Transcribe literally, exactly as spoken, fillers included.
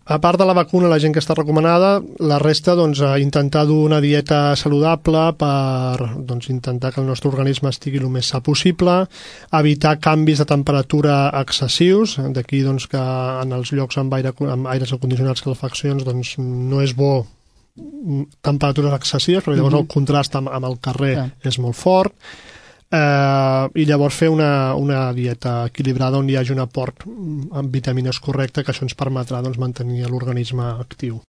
a part de la vacuna, la gent que està recomanada, la resta, doncs, intentar dur una dieta saludable per doncs, intentar que el nostre organisme estigui el més sa possible, evitar canvis de temperatura excessius, d'aquí doncs, que en els llocs amb, aire, amb aires acondicionats, calefaccions, doncs, no és bo temperatures excessives, perquè llavors el contrast amb, amb el carrer Clar. és molt fort, eh, i llavors fer una, una dieta equilibrada on hi hagi un aport amb vitamines correcte, que això ens permetrà doncs, mantenir l'organisme actiu.